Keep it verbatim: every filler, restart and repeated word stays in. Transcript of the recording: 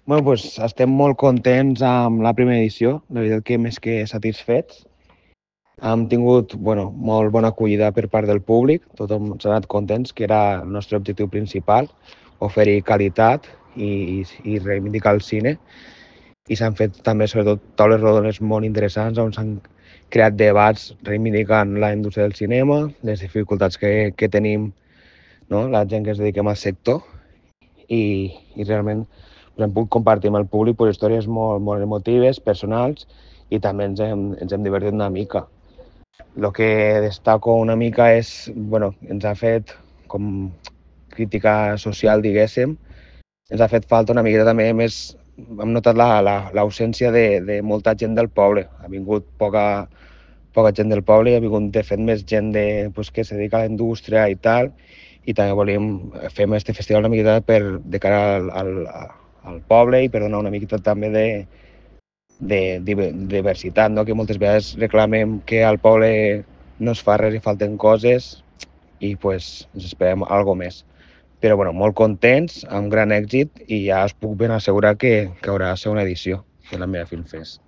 Bueno, doncs estem molt contents amb la primera edició, la veritat que més que satisfets. Hem tingut bueno, molt bona acollida per part del públic, tothom s'ha anat contents, que era el nostre objectiu principal, oferir qualitat i, i, i reivindicar el cine. I s'han fet també, sobretot, taules rodones molt interessants on s'han creat debats reivindicant la indústria del cinema, les dificultats que, que tenim, no? La gent que es dediquem al sector i, i realment pues, hem pogut compartir amb el públic pues, històries molt, molt emotives, personals, i també ens hem, ens hem divertit una mica. El que destaco una mica és, bueno, ens ha fet com crítica social, diguéssim, ens ha fet falta una miqueta també més, hem notat l'ausència la, la, de, de molta gent del poble. Ha vingut poca, poca gent del poble i ha vingut, de fet, més gent de, pues, que se dedica a la indústria i tal, i també volíem fer aquest festival una miqueta per, de cara al, al, al poble i per donar una miqueta també de, de, de diversitat, no? Que moltes vegades reclamem que al poble no es fa res i falten coses i pues, ens esperem alguna més. Però bueno, molt contents, amb gran èxit, i ja us puc ben assegurar que, que haurà segona edició de la meva Film Fest.